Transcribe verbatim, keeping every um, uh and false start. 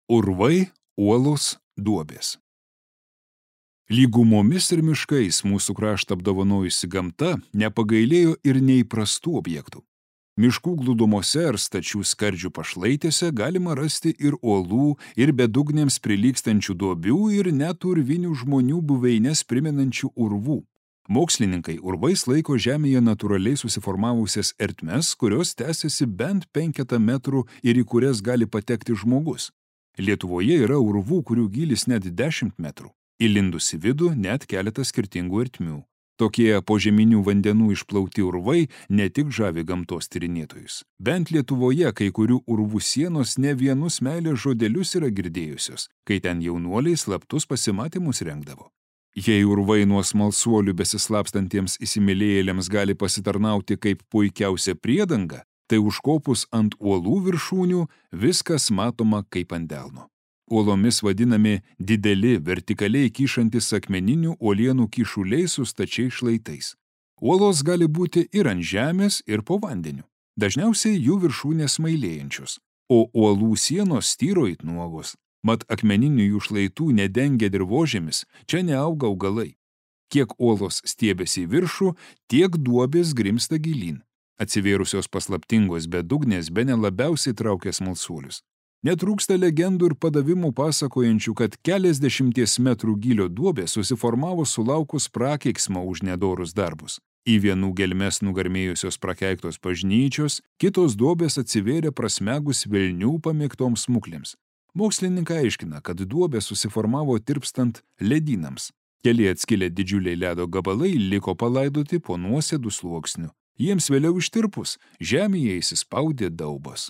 Urvai, uolos, duobės. Lygumomis ir miškais mūsų kraštą apdovanojusi gamta nepagailėjo ir neįprastų objektų. Miškų glūdumose ar stačių skardžių pašlaitėse galima rasti ir uolų, ir bedugnėms prilygstančių duobių, ir net urvinių žmonių buveines primenančių urvų. Mokslininkai urvais laiko žemėje natūraliai susiformavusias ertmes, kurios tęsiasi bent penketą metrų ir į kurias gali patekti žmogus. Lietuvoje yra urvų, kurių gylis net dešimt metrų. Įlindus į vidų net keletas skirtingų ertmių. Tokie požeminių vandenų išplauti urvai ne tik žavi gamtos tyrinėtojus. Bent Lietuvoje kai kurių urvų sienos ne vienus meilės žodelius yra girdėjusios, kai ten jaunuoliai slaptus pasimatymus rengdavo. Jei urvai nuo smalsuolių besislapstantiems įsimylėjėliams gali pasitarnauti kaip puikiausia priedanga, tai užkopus ant uolų viršūnių viskas matoma kaip ant delno. Uolomis vadinami dideli, vertikaliai kyšantis akmeninių uolienų kyšuliai su stačiais šlaitais. Uolos gali būti ir ant žemės, ir po vandeniu. Dažniausiai jų viršūnės smailėjančios, o uolų sienos styro it nuogos. Mat akmeninių jų šlaitų nedengia dirvožemis, čia neauga augalai. Kiek uolos stiebiasi į viršų, tiek duobės grimsta gilyn. Atsivėrusios paslaptingos bedugnės bene labiausiai traukia smalsuolius. Netrūksta legendų ir padavimų pasakojančių, kad keliasdešimties metrų gylio duobė susiformavo sulaukus prakeiksmo už nedorus darbus. Į vienų gelmes nugarmėjusios prakeiktos bažnyčios, kitos duobės atsivėrė prasmegus velnių pamėgtoms smuklėms. Mokslininkai aiškina, kad duobė susiformavo tirpstant ledynams. Keli atskilę didžiuliai ledo gabalai liko palaidoti po nuosėdų sluoksniu. Jiems vėliau ištirpus, žemėje įsispaudė daubos.